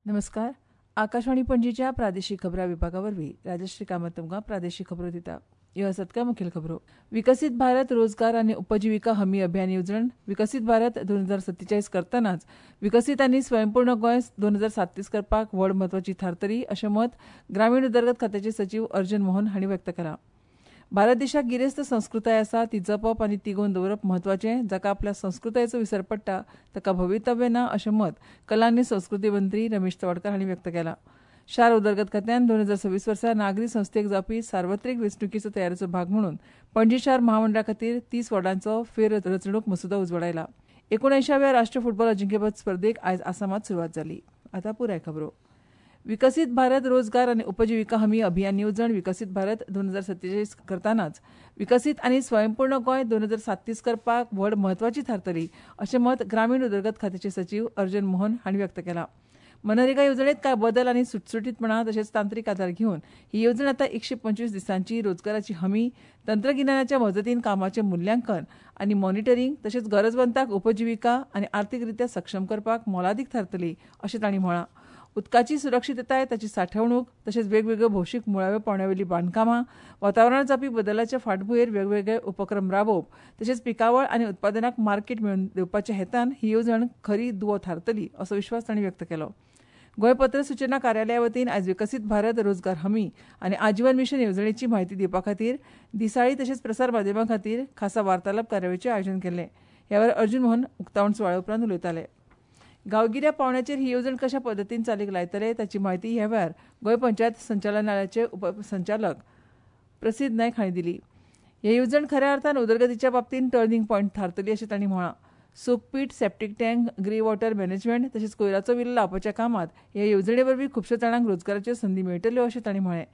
नमस्कार. आकाशवाणी पणजीच्या प्रादेशीक खबरां विभागा वरवीं राजश्री कामत तुमकां प्रादेशीक खबरो दिता. ह्यो आसात काय मुखेल खबरो. विकसीत भारत रोजगार आनी उपजिविका हमी अभियान येवजण विकसीत भारत 2047 करतनाच विकसीत आनी स्वयंपूर्ण गोंय 2037 करपाक व्हड म्हत्वाची थारतली अशें मत ग्रामीण उदरगत खात्याचे सचीव अर्जुन मोहन हांणी व्यक्त केलां. भारत देशाक गिरेस्त संस्कृताय आसा, ती जपप आनी तिगोवन दवरप म्हत्वाचें. जाका आपल्या संस्कृतायेचो विसर पडटा ताका भवितव्य ना अशें मत कला आनी संस्कृती मंत्री रमेश तवडकार हांणी व्यक्त केलां. शार उदरगत खात्यान 2026 वर्सा नागरी संस्थेक जावपी सार्वत्रिक वेंचणुकेचो तयारेचो भाग म्हणून पणजी शार महामंडळा खातीर 30 वॉर्डांचो फेररचणूक मसुदो उजवाडायला. 79व्या राष्ट्रीय फुटबॉल अजिंक्यपद स्पर्धेक आयज आसामात सुरवात जाली. आतां पुराय खबरो. विकसीत भारत रोजगार आनी उपजिविका हमी अभियान येवजण विकसीत भारत 2047 करतनाच विकसीत आनी स्वयंपूर्ण गोंय 2037 करपाक व्हड म्हत्वाची थारतली अशें मत ग्रामीण उदरगत खात्याचे सचीव अर्जुन मोहन हांणी व्यक्त केलां. मनरेगा येवजणेंत कांय बदल आनी सुटसुटीतपणा तशेंच तांत्रीक आदार घेवन ही येवजण आतां 125 दिसांची रोजगाराची हमी, तंत्रगिन्यानाच्या मजतीन कामाचें मुल्यांकन आनी मॉनिटरींग तशेंच गरजवंताक उपजिविका आनी आर्थीकरित्या सक्षम करपाक मोलादीक थारतली अशें तांणी म्हळां. उदकाची सुरक्षितताय, ताची सांठवणूक तशेंच वेगवेगळ्यो भौशीक मुळाव्या पावंड्यावेली बांदकामां, वातावरणांत जावपी बदलाच्या फाटभुंयेर वेगवेगळे उपक्रम राबोवप तशेंच पिकावळ आनी उत्पादनाक मार्केट मेळोवन दिवपाच्या हेतान ही येवजण खरी दुवो थारतली असो विश्वास तांणी व्यक्त केलो. गोंय पत्र सूचना कार्यालया वतीन आयज विकसीत भारत रोजगार हमी आनी आजीवन मिशन येवजणेची म्हायती दिवपा खातीर दिसाळी तशेंच प्रसार माध्यमां खातीर खासा वार्तालाप कार्यावळीचें आयोजन केल्लें. ह्या वेळार अर्जुन मोहन उक्तावण सुवाळ्या उपरांत उलयताले. गांवगिऱ्या पावंड्याचेर ही येवजण कशा पद्दतीन चालीक लायतले ताची म्हायती ह्या वेळार गोंय पंचायत संचालनालयाचे उपसंचालक प्रसिद्ध नायक हांणी दिली. ही येवजण खऱ्या अर्थान उदरगतीच्या बाबतींत टर्निंग पॉयंट थारतली अशें तांणी म्हळां. Soak pit, septic tank, grey water management तशेंच कोयराचो विलो लावपाच्या कामांत ह्या येवजणे वरवीं खुबश्या जाणांक रोजगाराच्यो संदी मेळटल्यो अशें तांणी म्हळें.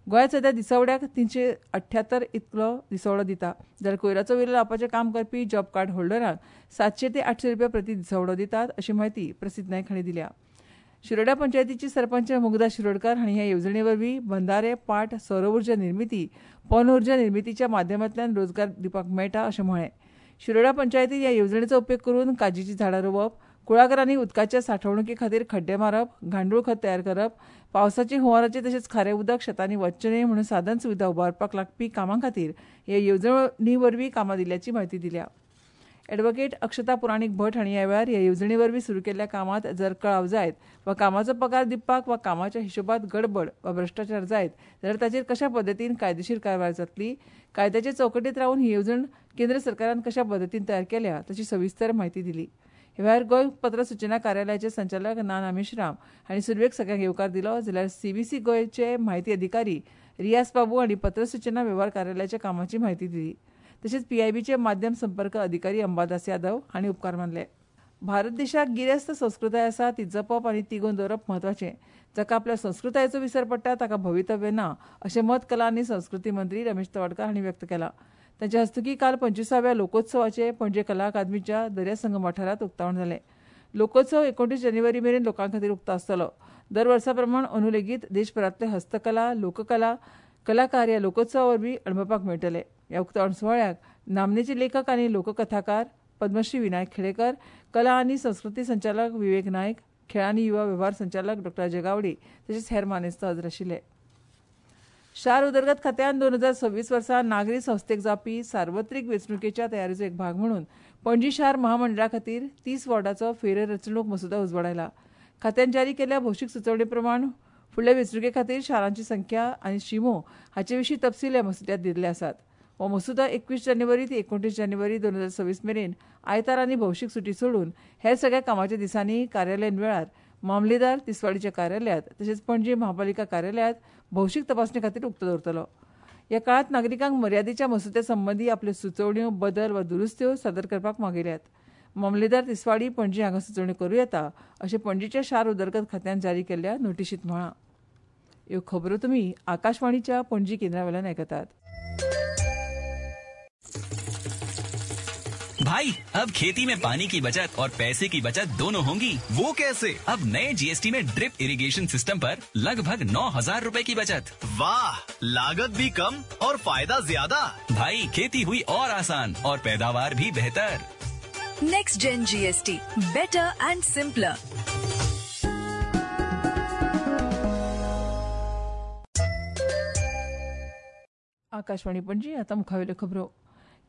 गोंयांत सध्या दिसवड्याक 378 इतलो दिसवडो दिता, जाल्यार कोयराचो विलो लावपाचें काम करपी जॉब कार्ड होल्डरांक 700 ते 800 रुपया प्रति दिसवडो दितात अशी म्हायती प्रसिद्ध नायक हांणी दिल्या. शिरोड्या पंचायतीची सरपंच मुग्धा शिरोडकर हांणी ह्या येवजणे वरवीं बंधारे, पाट, सौर उर्जा निर्मिती, पवन उर्जा निर्मितीच्या माध्यमांतल्यान रोजगार दिवपाक मेळटा अशें म्हळें. शिरोडा पंचायतीन ह्या येवजणेचो उपेग करून काजीचीं झाडां रोवप, कुळागरांनी उदकाच्या सांठवणुके खातीर खड्डे मारप, गांडूळ खत तयार करप, पावसाची हुंवाराचें तशेंच खारें उदक शेतांनी वचचें न्हय म्हणून साधन सुविधा उबारपाक लागपी कामां खातीर ह्या येवजणे वरवीं कामां दिल्ल्याची म्हायती दिल्या. ॲडव्होकेट अक्षता पुराणीक भट हांणी ह्या वेळार ह्या येवजणे वरवीं सुरू केल्ल्या कामांत जर कळाव जायत वा कामाचो पगार दिवपाक वा कामाच्या हिशोबात गडबड वा भ्रश्टाचार जायत जाल्यार ताचेर कशा पद्दतीन कायदेशीर कारवाय जातली, कायद्याचे चौकटीत रावन ही येवजण केंद्र सरकारान कशा पद्दतीन तयार केल्या ताची सविस्तर म्हायती दिली. ह्या वेळार गोंय पत्र सूचना कार्यालयाचे संचालक नाना मेश्राम हांणी सुरवेक सगळ्यांक येवकार दिलो, जाल्यार सीबीसी गोंयचे म्हायती अधिकारी रियास बाबू हांणी पत्र सूचना वेव्हार कार्यालयाच्या कामाची म्हायती दिली. तशेंच पीआयबीचे माध्यम संपर्क अधिकारी अंबादास यादव हांणी उपकार मानले. भारत देशाक गिरेस्त संस्कृताय आसा, ती जपप आनी तिगोवन दवरप म्हत्वाचें. जाका आपल्या संस्कृतायेचो विसर पडटा ताका भवितव्य ना अशें मत कला आनी संस्कृती मंत्री रमेश तवडकार हांणी व्यक्त केलां. तांच्या हस्तुकीं काल 25व्या लोकोत्सवाचें पणजे कला अकादमीच्या दर्या संगम वाठारांत उक्तावण जालें. लोकोत्सव 29 जानेवारी मेरेन लोकां खातीर उक्तो आसतलो. दर वर्सा प्रमाण अंदू लेगीत देशभरांतले हस्तकला, लोककला कलाकार ह्या लोकोत्सवा वरवीं अणभवपाक मेळटले. ह्या उक्तावण सुवाळ्याक नामनेचे लेखक आनी लोककथाकार पद्मश्री विनायक खेडेकर, कला आनी संस्कृती संचालक विवेक नायक, खेळ आनी युवा वेव्हार संचालक डॉ जगावडी तशेंच हेर मानेस्त हजर आशिल्ले. शार उदरगत खात्यान 2026 वर्सा नागरी संस्थेक जावपी सार्वत्रिक वेंचणुकेच्या तयारेचो एक भाग म्हणून पणजी शार महामंडळा खातीर 30 वॉर्डाचो फेररचणूक मसुदो उजवाडायला. खात्यान जारी केल्ल्या भौशीक सुचोवणे प्रमाण फुडल्या वेंचणुके खातीर शारांची संख्या आनी शिमो हाचे विशीं तपशील ह्या मसुद्यांत दिल्ले आसात. हो मसुदो 21 जानेवारी ते 29 जानेवारी 2026 मेरेन आयतार आनी भौशीक सुटी सोडून हेर सगळ्या कामाच्या दिसांनी कार्यालयीन वेळार मामलेदार तिसवाडीच्या कार्यालयांत तशेंच पणजी महापालिका कार्यालयांत भौशीक तपासणे खातीर उक्तो दवरतलो. ह्या काळांत नागरिकांक मर्यादेच्या मसुद्या संबंदी आपल्यो सुचोवण्यो, बदल वा दुरुस्त्यो सादर करपाक मागयल्यात. मामलेदार तिसवाडी पणजी हांगा सुचोवण्यो करूं येता अशें पणजीच्या शार उदरगत खात्यान जारी केल्ल्या नोटिशींत म्हळां. ह्यो खबरो तुमी आकाशवाणीच्या पणजी केंद्रा वयल्यान आयकतात. भाई, अब खेती में पानी की बचत और पैसे की बचत दोनों होंगी। वो कैसे? अब नए जीएसटी में ड्रिप इरिगेशन सिस्टम पर लगभग 9,000 रुपए की बचत। वाह, लागत भी कम और फायदा ज्यादा। भाई, खेती हुई और आसान और पैदावार भी बेहतर। Next gen GST, better and simpler. Akashvani Panaji, आतां मुखावेल्यो खबरो.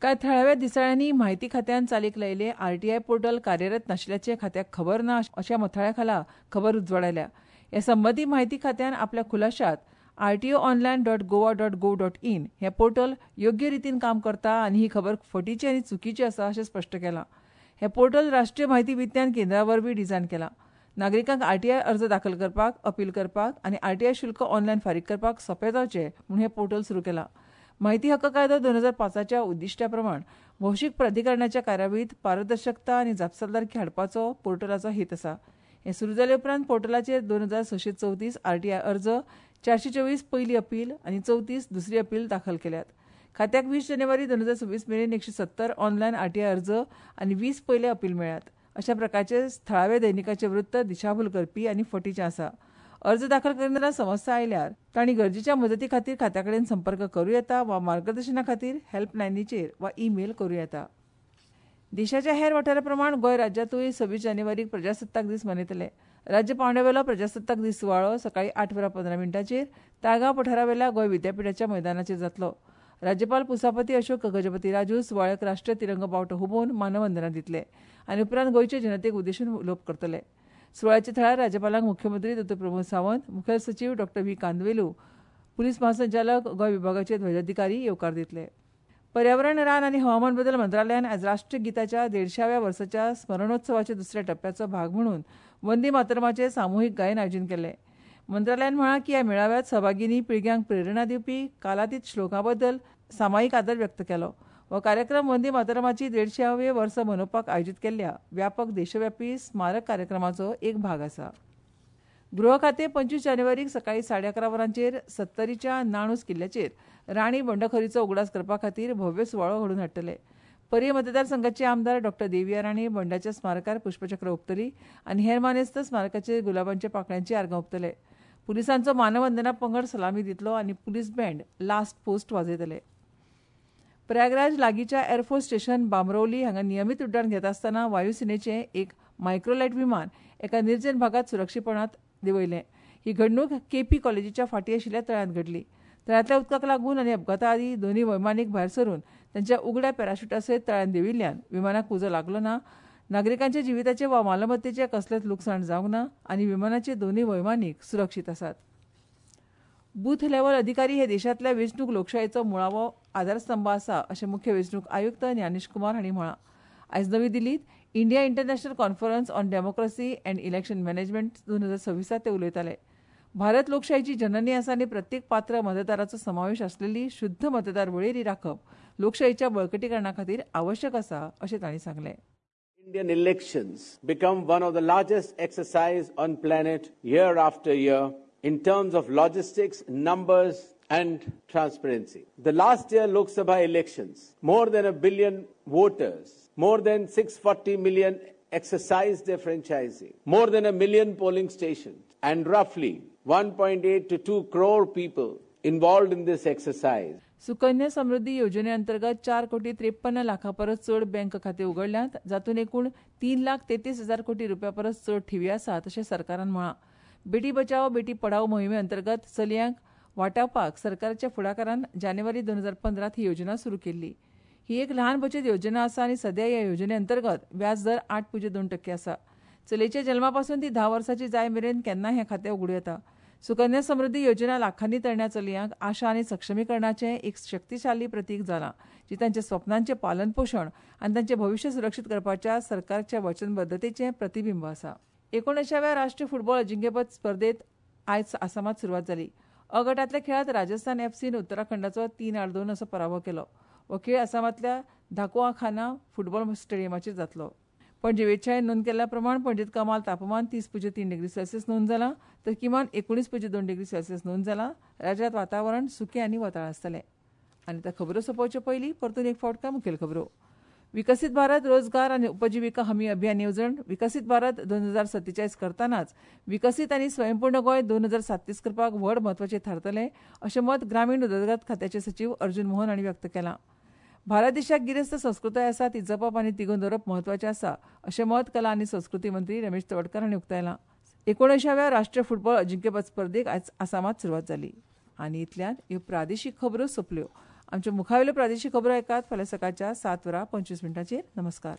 कांय थळाव्या दिसाळ्यांनी म्हायती खात्यान चालीक लायिल्लें आरटीआय पोर्टल कार्यरत नाशिल्ल्याचें खात्याक खबर ना अशा मथळ्या खाला खबर उजवाडायल्या. हे संबंदी म्हायती खात्यान आपल्या खुलाशात rtoonline.goa.gov.in हें पोर्टल योग्य रितीन काम करता आनी ही खबर फटीची आनी चुकीची आसा अशें स्पश्ट केलां. हें पोर्टल राष्ट्रीय म्हायती विज्ञान केंद्रा वरवीं डिझायन केलां. नागरिकांक आरटीआय अर्ज दाखल करपाक, अपील करपाक आनी आरटीआय शुल्क ऑनलायन फारीक करपाक सोंपें जावचें म्हूण हें पोर्टल सुरू केलां. म्हायती हक्क कायदो 2005च्या उद्दिश्टा प्रमाण भौशीक प्राधिकरणाच्या कार्यावळींत पारदर्शकता आनी जापसालदारकी हाडपाचो पोर्टलाचो हेत आसा. हें सुरू जाले उपरांत पोर्टलाचेर 2634 आरटीआय अर्ज, 424 पयली अपील आनी 34 दुसरी अपील दाखल केल्यात. खात्याक 20 जानेवारी 2026 मेरेन 170 ऑनलायन आरटीआय अर्ज आनी 20 पयले अपील मेळ्ळ्यात. अशा प्रकारचे थळावे दैनिकाचे वृत्त दिशाभूल करपी आनी फटीचें आसा. अर्ज दाखल करतना समस्या आयल्यार तांणी गरजेच्या मदती खातीर खात्या कडेन संपर्क करूं येता वा मार्गदर्शना खातीर हेल्पलायनीचेर वा ईमेल करूं येता. देशाच्या हेर वाठारा प्रमाण गोंय राज्यांतूय 26 जानेवारीक प्रजासत्ताक दीस मनयतले. राज्य पांवड्यावेलो प्रजासत्ताक दीस सुवाळो सकाळीं 8:15 ताळगांव पठारावेल्या गोंय विद्यापिठाच्या मैदानाचेर जातलो. राज्यपाल पुसापती अशोक गजपती राजू सुवाळ्याक राष्ट्रीय तिरंगो बावटो हुबोवन मानवंदना दितले आनी उपरांत गोंयचे जनतेक उद्देशून उलोवप करतले. सुवाळ्याच्या थळार राज्यपालांक मुख्यमंत्री डॉ. प्रमोद सावंत, मुखेल सचीव डॉ. व्ही कांदवेलू, पुलीस महासंचालक, गोंय विभागाचे ध्वजाधिकारी येवकार दितले. पर्यावरण, रान आनी हवामान बदल मंत्रालयान आयज राष्ट्रीय गीताच्या 150व्या वर्साच्या स्मरणोत्सवाच्या दुसऱ्या टप्प्याचो भाग म्हणून वंदे मातरमाचें सामुहीक गायन आयोजन केलें. मंत्रालयान म्हळां की ह्या मेळाव्यात सहभागींनी पिळग्यांक प्रेरणा दिवपी कालातीत श्लोकां बद्दल सामायिक आदर व्यक्त केलो. हो कार्यक्रम वंदे मातरमाची 150वें वर्स मनोवपाक आयोजीत केल्ल्या व्यापक देशव्यापी स्मारक कार्यक्रमाचो एक भाग आसा. गृह खातें 25 जानेवारीक सकाळीं 11:30 वरांचेर सत्तरीच्या नाणूस किल्ल्याचेर राणी बंडखोरीचो उगडास करपा खातीर भव्य सुवाळो घडोवन हाडटले. पर्ये मतदारसंघाचे आमदार डॉ. देविया राणे बंडाच्या स्मारकार पुष्पचक्र ओंपतली आनी हेर मानेस्त स्मारकाचेर गुलाबांच्या पाकळ्यांची आर्गां ओंपतले. पुलिसांचो मानवंदना पंगड सलामी दितलो आनी पुलीस बँड लास्ट पोस्ट वाजयतले. प्रयागराज लागींच्या एअरफोर्स स्टेशन बामरौली हांगा नियमीत उड्डाण घेता आसतना वायुसेनेचें एक मायक्रोलायट विमान एका निर्जन भागांत सुरक्षीपणांत देंवयलें. ही घडणूक केपी कॉलेजीच्या फाटीं आशिल्ल्या तळ्यांत घडली. तळ्यांतल्या उदकाक लागून आनी अपघाता आदीं दोनूय वैमानीक भायर सरून तांच्या उगड्या पॅराशुटा सयत तळ्यांत देंविल्ल्यान विमानाक उजो लागलो ना. नागरिकांच्या जिविताचें वा मालमत्तेचें कसलेंच लुकसाण जावंक ना आनी विमानाचे दोनूय वैमानीक सुरक्षीत आसात. बूथ लेव्हल अधिकारी हे देशांतल्या वेंचणूक लोकशायेचो मुळावो आधारस्तंभ आसा अशें मुख्य वेंचणूक आयुक्त ज्ञानेश कुमार हांणी म्हळां. आयज नवी दिल्लींत India international conference on democracy and election management 2026 ते उलयताले. भारत लोकशायेची जननी आसा आनी प्रत्येक पात्र मतदाराचो समावेश आसलेली शुद्ध मतदार वळेरी राखप लोकशायेच्या बळकटीकरणा खातीर आवश्यक आसा अशें तांणी सांगलें. Indian elections become one of the largest exercise on planet year after year in terms of logistics, numbers and transparency. The last year Lok Sabha elections, more than 1 billion voters, more than 640 million exercised their franchising, more than 1 million polling stations and roughly 1.8 to 2 crore people involved in this exercise. Sukanya Samriddhi योजने अंतर्गत 4,53 लाखां परस चड bank खातें उगडल्यांत, जातूंत एकूण 3,33,000 कोटी रुपया परस चड ठेवी आसात अशें सरकारान म्हळां. बेटी बचाओ बेटी पढाओ मोहिमे अंतर्गत चलयांक वाटावपाक सरकाराच्या फुडाकारान जानेवारी 2015 ही योजना सुरू केल्ली. ही एक ल्हान बचत योजना आसा आनी सध्या ह्या योजने अंतर्गत व्याज दर 8.2% आसा. चलयेच्या जल्मापासून ती 10 वर्सांची जाय मेरेन केन्नाय हें खातें उगडूं येता. सुकन्या समृद्धी योजना लाखांनी तरण्या चलयांक आशा आनी सक्षमीकरणाचें एक शक्तिशाली प्रतीक जालां, जी तांच्या स्वप्नांचें पालनपोशण आनी तांचें भविश्य सुरक्षीत करपाच्या सरकारच्या वचनबद्धतेचें प्रतिबिंब आसा. 19व्या राष्ट्रीय फुटबॉल अजिंक्यपद स्पर्धेत आयज आसामात सुरवात जाली. अ गटांतल्या खेळांत राजस्थान एफसीन उत्तराखंडाचो 3-2 असो पराभव केलो. हो खेळ आसामांतल्या धाकुआखाना फुटबॉल स्टेडियमाचेर जातलो. पणजे वेधशाळेन नोंद केल्ल्या प्रमाण पणजेंत कमाल तापमान 30.3 डिग्री सेल्सियस नोंद जालां, तर किमान 19.2 डिग्री सेल्सियस नोंद जालां. राज्यांत वातावरण सुकें आनी वताळ आसतलें. आनी आतां खबरो सोंपोवचे पयलीं परतून एक फावट काय मुखेल खबरो. विकसीत भारत रोजगार आनी उपजिविका हमी अभियान येवजण विकसीत भारत 2047 करतनाच विकसीत आनी स्वयंपूर्ण गोंय 2037 करपाक व्हड म्हत्वाचें थारतलें अशें मत ग्रामीण उदरगत खात्याचे सचीव अर्जुन मोहन हांणी व्यक्त केलां. भारत देशाक गिरेस्त संस्कृताय आसा, ती जपप आनी तिगोवन दवरप म्हत्वाचें आसा अशें मत कला आनी संस्कृती मंत्री रमेश तवडकर हांणी उक्तायलां. 19व्या राष्ट्रीय फुटबॉल अजिंक्यपद स्पर्धेक आयज आसामात सुरवात जाली. आनी इतल्यान ह्यो प्रादेशीक खबरो सोंपल्यो. आमच्यो मुखावेल्यो प्रादेशीक खबरो आयकात फाल्यां सकाळच्या 7:25. नमस्कार.